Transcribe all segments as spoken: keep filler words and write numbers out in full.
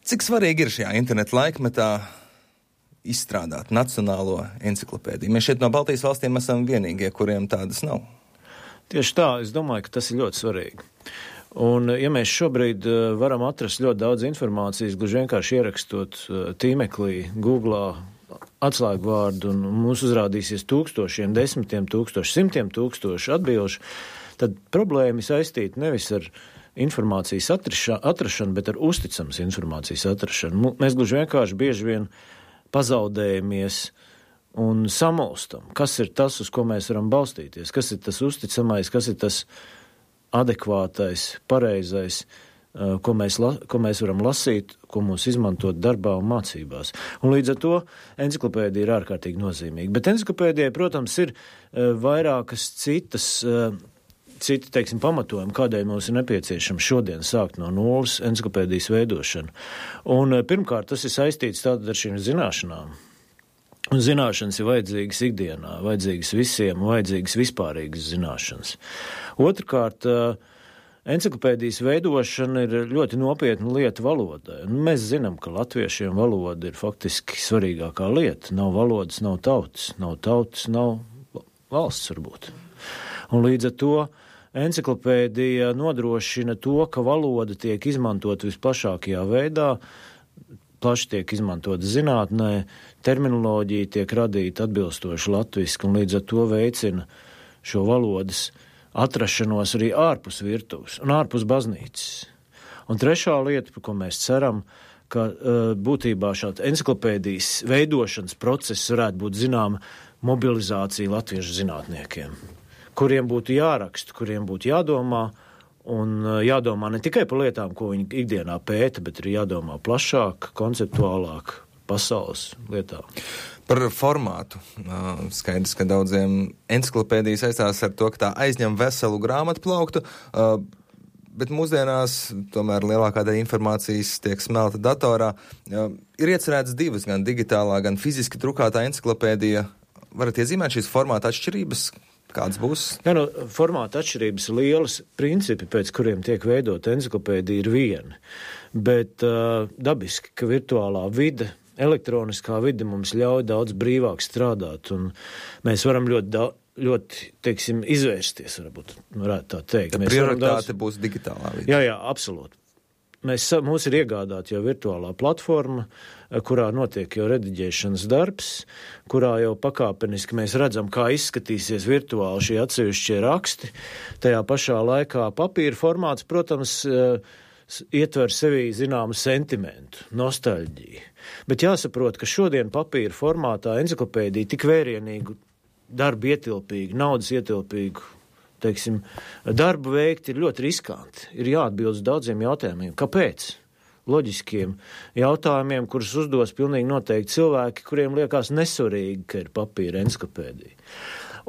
Cik svarīgi ir šajā interneta laikmetā izstrādāt nacionālo enciklopēdiju? Mēs šeit no Baltijas valstīm esam vienīgie, kuriem tādas nav. Tieši tā, es domāju, ka tas ir ļoti svarīgi. Un, ja mēs šobrīd varam atrast ļoti daudz informācijas, gluži vienkārši ierakstot tīmeklī, Googlā, atslēgu vārdu, un mums uzrādīsies tūkstošiem, desmitiem tūkstoši, simtiem tūkstoši atbilžu, tad problēma saistīta nevis ar informācijas atrašanu, atrašanu, bet ar uzticamas informācijas atrašanu. Mēs gluži vienkārši bieži vien pazaudējamies un samulstam, kas ir tas, uz ko mēs varam balstīties, kas ir tas uzticamais, kas ir tas adekvātais, pareizais, ko mēs, la, ko mēs varam lasīt, ko mums izmantot darbā un mācībās. Un līdz ar to enciklopēdija ir ārkārtīgi nozīmīga. Bet enciklopēdijai, protams, ir vairākas citas citi, teiksim, pamatojumi, kādēļ mums ir nepieciešams šodien sākt no nulles enciklopēdijas veidošanu. Un pirmkārt, tas ir saistīts tātad ar šīm zināšanām. Un zināšanas ir vajadzīgas ikdienā, vajadzīgas visiem, vajadzīgas vispārīgas zināšanas. Otrkārt, enciklopēdijas veidošana ir ļoti nopietna lieta valodai. Un mēs zinām, ka latviešiem valoda ir faktiski svarīgākā lieta. Nav valodas, nav tautas, nav tautas, nav valsts varbūt. Un līdz ar to enciklopēdija nodrošina to, ka valoda tiek izmantot visplašākajā veidā, plaši tiek izmantot zinātnē, terminoloģija tiek radīta atbilstoši latviski, un līdz ar to veicina šo valodas atrašanos arī ārpus virtuves un ārpus baznīcas. Un trešā lieta, par ko mēs ceram, ka būtībā šāds enciklopēdijas veidošanas process varētu būt zināma mobilizācija latviešu zinātniekiem, kuriem būtu jāraksta, kuriem būtu jādomā, un jādomā ne tikai par lietām, ko viņi ikdienā pēta, bet arī jādomā plašāk, konceptuālāk, pasaules lietām. Par formātu. Skaidrs, ka daudziem enciklopēdija saistās ar to, ka tā aizņem veselu grāmatu plauktu, bet mūsdienās tomēr lielākā daļa informācijas tiek smelta datorā. Ir iecerēts divas, gan digitālā, gan fiziski drukātā enciklopēdija. Varat iezīmēt šīs formāta atšķirības? Kāds būs? Jā, no formāta atšķirības lielas, principi, pēc kuriem tiek veidot enciklopēdija, ir viena. Bet uh, dabiski, ka virtuālā vide, elektroniskā vide mums ļauj daudz brīvāk strādāt, un mēs varam ļoti, da, ļoti teiksim, izvērsties, varbūt, varētu tā teikt. Tā prioritāte daudz... būs digitālā vide. Jā, jā, absolūti. Mēs, mums ir iegādāta jau virtuālā platforma, kurā notiek jau rediģēšanas darbs, kurā jau pakāpeniski mēs redzam, kā izskatīsies virtuāli šie atsevišķie raksti. Tajā pašā laikā papīra formāts, protams, ietver sevī zināmu sentimentu, nostalģiju. Bet jāsaprot, ka šodien papīra formātā enciklopēdija tik vērienīgu darbu ietilpīgu, naudas ietilpīgu, teiksim, darbu veikt ir ļoti riskanti. Ir jāatbild uz daudziem jautājumiem. Kāpēc? Loģiskiem jautājumiem, kurus uzdos pilnīgi noteikti cilvēki, kuriem liekas nesvarīgi, ka ir papīra enciklopēdija.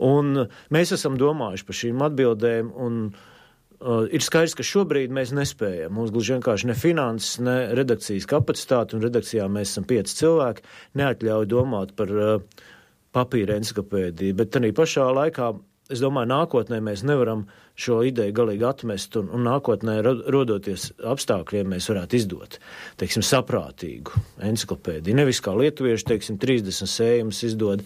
Un mēs esam domājuši par šīm atbildēm, un uh, ir skaidrs, ka šobrīd mēs nespējam. Mums gluži vienkārši ne finanses, ne redakcijas kapacitāte, un redakcijā mēs esam pieci cilvēki, neatļauj domāt par uh, papīra enciklopēdiju, bet tādā pašā laikā es domāju, nākotnē mēs nevaram šo ideju galīgi atmest, un, un nākotnē rodoties apstākļiem mēs varētu izdot, teiksim, saprātīgu enciklopēdiju. Nevis kā lietuvieši, teiksim, trīsdesmit sējumus izdod.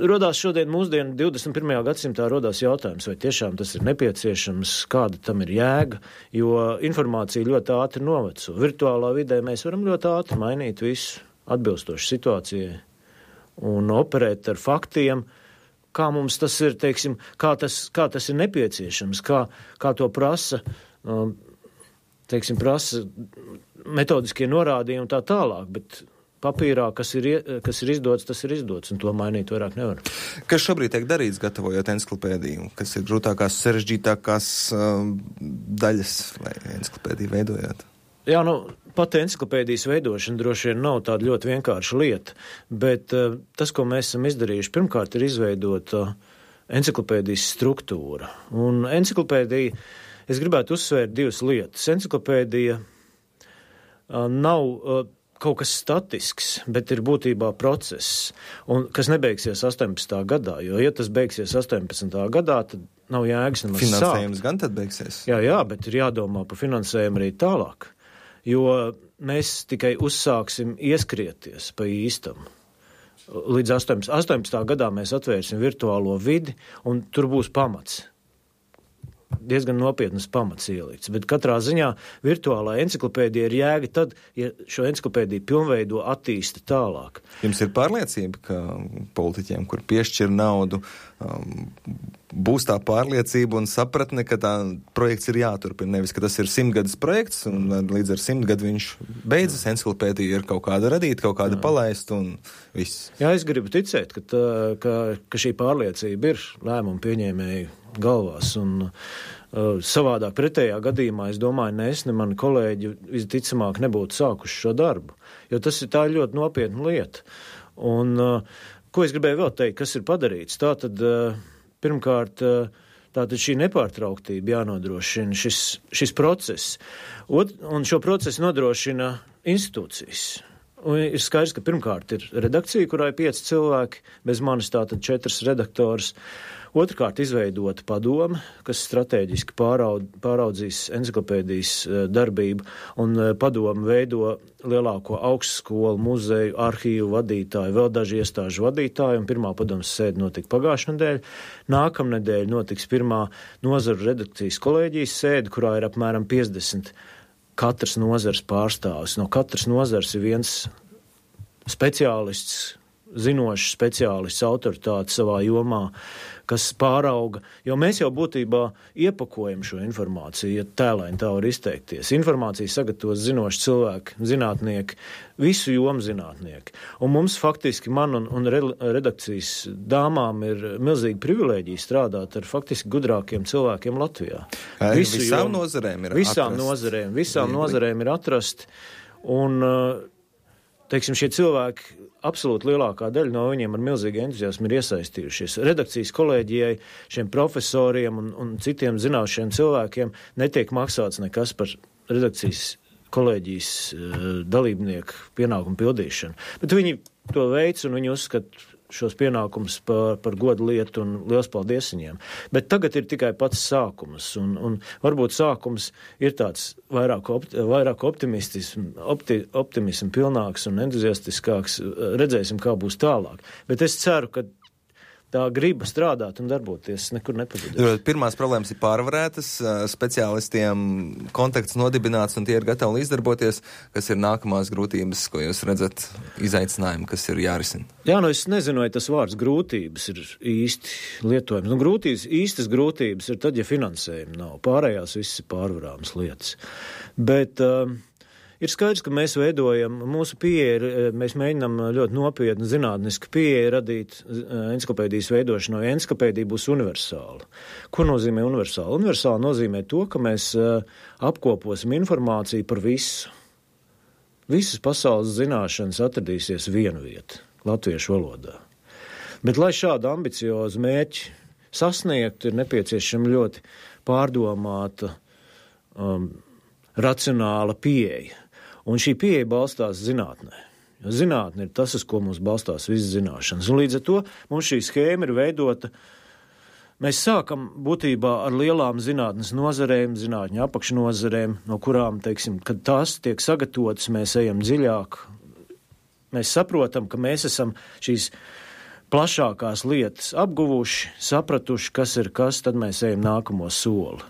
Rodās šodien mūsdienu divdesmit pirmajā gadsimtā rodās jautājums, vai tiešām tas ir nepieciešams, kāda tam ir jēga, jo informācija ļoti ātri noveco. Virtuālā vidē mēs varam ļoti ātri mainīt visu atbilstoši situācijai un operēt ar faktiem, kā mums tas ir, teiksim, kā tas, kā tas ir nepieciešams, kā, kā to prasa, teiksim, prasa metodiskie norādījumi un tā tālāk, bet papīrā, kas ir, kas ir izdots, tas ir izdots, un to mainīt vairāk nevar. Kas šobrīd tiek darīts, gatavojot enciklopēdiju? Kas ir grūtākās, sarežģītākās um, daļas, lai enciklopēdiju veidojot? Jā, nu, pati enciklopēdijas veidošana droši vien nav tāda ļoti vienkārša lieta, bet uh, tas, ko mēs esam izdarījuši, pirmkārt ir izveidot uh, enciklopēdijas struktūra. Un enciklopēdija, es gribētu uzsvērt divas lietas. Enciklopēdija uh, nav uh, kaut kas statisks, bet ir būtībā process, un, kas nebeigsies astoņpadsmitā gadā, jo, ja tas beigsies astoņpadsmitā gadā, tad nav jēgas nemaz sākt. Finansējums gan tad beigsies? Jā, jā, bet ir jādomā par finansējumu arī tālāk. Jo mēs tikai uzsāksim ieskrieties pa īstam. Līdz astoņpadsmitajā gadā mēs atvērsim virtuālo vidi, un tur būs pamats. Diezgan nopietnas pamats ielikts, bet katrā ziņā virtuālā enciklopēdija ir jēga tad, ja šo enciklopēdiju pilnveido attīsta tālāk. Jums ir pārliecība, ka politiķiem, kur piešķir naudu, um, būs tā pārliecība un sapratne, ka tā projekts ir jāturpina, nevis, ka tas ir simtgadus projekts, un līdz ar simtgadu viņš beidzas, enciklopēdija ir kaut kāda radīta, kaut kāda palaista un viss. Jā, es gribu ticēt, ka, tā, ka, ka šī pārliecība ir lēmumu pieņēmēju galvās, un uh, savādāk pretējā gadījumā, es domāju, ne es, ne mani kolēģi visticamāk nebūtu sākuši šo darbu, jo tas ir tā ļoti nopietna lieta. Un, uh, ko es gribēju vēl teikt, kas ir padarīts? Tātad, uh, pirmkārt, uh, tātad šī nepārtrauktība jānodrošina, šis, šis process, Ot, un šo procesu nodrošina institūcijas. Un ir skaidrs, ka pirmkārt ir redakcija, kurā ir pieci cilvēki, bez manis tātad četras redaktors. Otrkārt izveidota padome, kas strateģiski pāraud, pāraudzīs enciklopēdijas darbību, un padome veido lielāko augstskolu, muzeju, arhīvu vadītāju, vēl daži iestāžu vadītāju, un pirmā padomes sēde notika pagājušā nedēļa. Nākamnedēļ notiks pirmā nozaru redakcijas kolēģijas sēde, kurā ir apmēram piecdesmit katras nozars pārstāvis. No katras nozars ir viens speciālists, zinošs speciālists, autoritāte savā jomā, kas pārauga, jo mēs jau būtībā iepakojam šo informāciju, ja tēlaini tā var izteikties. Informāciju sagatavos zinoši cilvēki, zinātnieki, visu jomu zinātnieki. Un mums faktiski, man un, un redakcijas dāmām ir milzīga privilēģija strādāt ar faktiski gudrākiem cilvēkiem Latvijā. Visu visām jomu, nozarēm ir visām atrast. Nozarēm, visām Viegli. nozarēm ir atrast, un, teiksim, šie cilvēki absolūti lielākā daļa no viņiem ar milzīgu entuziasmu ir iesaistījušies. Redakcijas kolēģijai, šiem profesoriem un, un citiem zināšiem cilvēkiem netiek maksāts nekas par redakcijas kolēģijas uh, dalībnieku pienākumu pildīšanu. Bet viņi to veic un viņi uzskata šos pienākumus par, par godu lietu un liels paldies viņiem. Bet tagad ir tikai pats sākums, un, un varbūt sākums ir tāds vairāk, opti, vairāk optimistism, opti, optimism pilnāks un entuziastiskāks. Redzēsim, kā būs tālāk. Bet es ceru, ka tā griba strādāt un darboties nekur nepazudīs. Pirmās problēmas ir pārvarētas, speciālistiem kontakts nodibināts un tie ir gatavi līdzdarboties, kas ir nākamās grūtības, ko jūs redzat, izaicinājumi, kas ir jārisina. Jā, nu es nezinu, vai tas vārds grūtības ir īsti lietojams. Nu, grūtības, īstas grūtības ir tad, ja finansējumi nav. Pārējās viss ir pārvarāmas lietas. Bet uh, ir skaidrs, ka mēs veidojam, mūsu pieeja, mēs mēģinām ļoti nopietni zinātniski pieeja radīt enciklopēdijas veidošanu, jo enciklopēdija būs universāla. Ko nozīmē universāla? Universāla nozīmē to, ka mēs apkoposim informāciju par visu. Visas pasaules zināšanas atradīsies vienu vietu, latviešu valodā. Bet, lai šādu ambiciozu mērķi sasniegtu, ir nepieciešama ļoti pārdomāta, um, racionāla pieeja. Un šī pieeja balstās zinātnē. Jo zinātne ir tas, uz ko mums balstās visas zināšanas. Un līdz ar to mums šī schēma ir veidota. Mēs sākam būtībā ar lielām zinātnes nozarēm, zinātņu apakšnozarēm, no kurām, teiksim, kad tās tiek sagatavotas, mēs ejam dziļāk. Mēs saprotam, ka mēs esam šīs plašākās lietas apguvuši, sapratuši, kas ir kas, tad mēs ejam nākamo soli.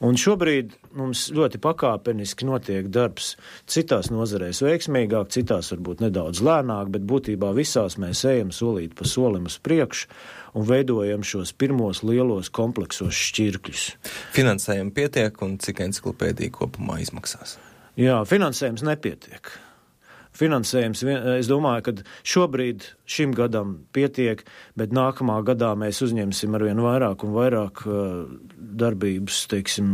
Un šobrīd mums ļoti pakāpeniski notiek darbs citās nozarēs veiksmīgāk, citās varbūt nedaudz lēnāk, bet būtībā visās mēs ejam solīt pa solim uz priekšu un veidojam šos pirmos lielos kompleksos šķirkļus. Finansējumi pietiek un cik enciklopēdija kopumā izmaksās? Jā, finansējums nepietiek. Finansējums, es domāju, ka šobrīd šim gadam pietiek, bet nākamā gadā mēs uzņemsim arvien vairāk un vairāk darbības, teiksim,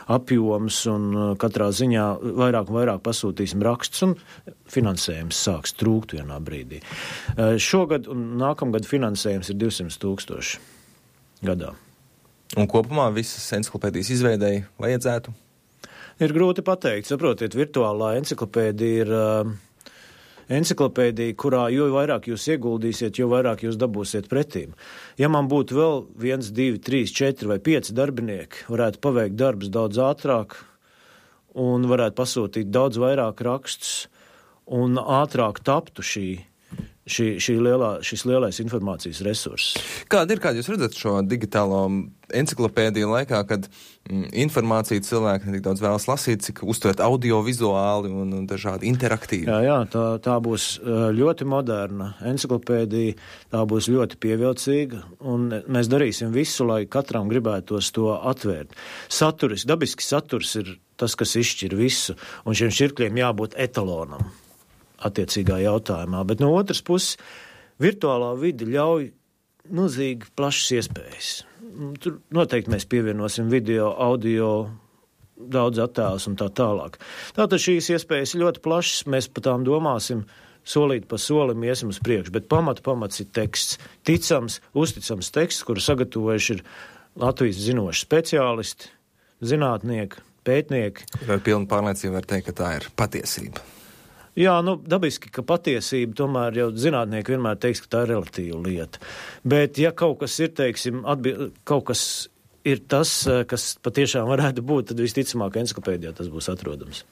apjoms un katrā ziņā vairāk un vairāk pasūtīsim rakstus un finansējums sāks trūkt vienā brīdī. Šogad un nākamgad finansējums ir divsimt tūkstoši gadā. Un kopumā visas enciklopēdijas izveidēji vajadzētu? Ir grūti pateikt. Saprotiet, virtuālā enciklopēdija ir uh, enciklopēdija, kurā jo vairāk jūs ieguldīsiet, jo vairāk jūs dabūsiet pretīm. Ja man būtu vēl viens, divi, trīs, četri vai pieci darbinieki, varētu paveikt darbus daudz ātrāk un varētu pasūtīt daudz vairāk rakstus un ātrāk taptu šī, šī, šī lielā, šis lielais informācijas resurss. Kāda ir, kāda jūs redzat šo digitālo enciklopēdiju laikā, kad mm, informāciju cilvēki ne tik daudz vēlas lasīt, cik uztvert audio-vizuāli un, un dažādi interaktīvi? Jā, jā, tā, tā būs ļoti moderna enciklopēdija, tā būs ļoti pievilcīga, un mēs darīsim visu, lai katram gribētos to atvērt. Saturis, dabiski saturs ir tas, kas izšķir visu, un šiem šķirkļiem jābūt etalonam attiecīgā jautājumā. Bet no otras puses, virtuālā vide ļauj milzīgi plašas iespējas. Tur noteikti mēs pievienosim video, audio, daudz attēlus un tā tālāk. Tātad šīs iespējas ir ļoti plašas, mēs par tām domāsim, solīt pa solim iesim uz priekšu, bet pamata pamats ir teksts. Ticams, uzticams teksts, kuru sagatavojuši ir Latvijas zinoši speciālisti, zinātnieki, pētnieki. Ar pilnu pārliecību var teikt, ka tā ir patiesība. Jā, nu, dabiski, ka patiesība tomēr jau zinātnieki vienmēr teiks, ka tā ir relatīva lieta. Bet, ja kaut kas ir, teiksim, atbild, kaut kas ir tas, kas patiešām varētu būt, tad visticamāk enciklopēdijā tas būs atrodams.